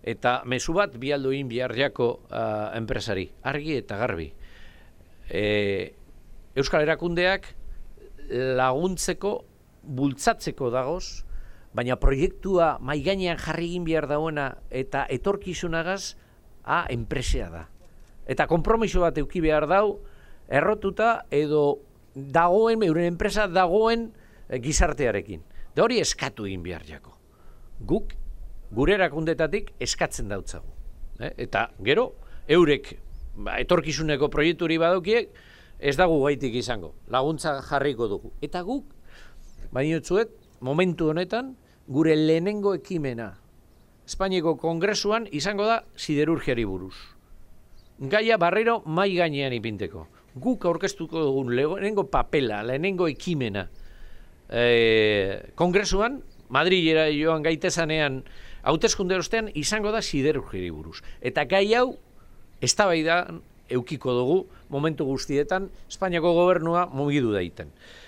Eta mezu bat bialdu egin behar jako enpresari, argi eta garbi. Euskal Erakundeak laguntzeko, bultzatzeko dagoz, baina proiektua mahai gainean jarri egin behar dauena eta etorkizunagaz, enpresea da. Eta konpromiso bat eduki behar dau, errotuta edo dagoen, euren enpresa dagoen gizartearekin. Da hori eskatu egin behar jako. Guk, gure erakundetatik eskatzen dautzagu. Eta gero, eurek etorkizuneko proiekturi badokiek, ez dago gaitik izango. Laguntza jarriko dugu. Eta guk, bainotzuet, momentu honetan, gure lehenengo ekimena Espainiako Kongresuan izango da siderurgiari buruz. Gaia barrero mai gainean ipinteko. Guk aurkeztuko dugun lehenengo papela, lehenengo ekimena Kongresuan, Madrilera joan gaitezanean hauteskunde ostean izango da siderurgiari buruz. Eta gai hau eztabaidan eukiko dugu momentu guztietan Espainiako gobernua mugidu daiten.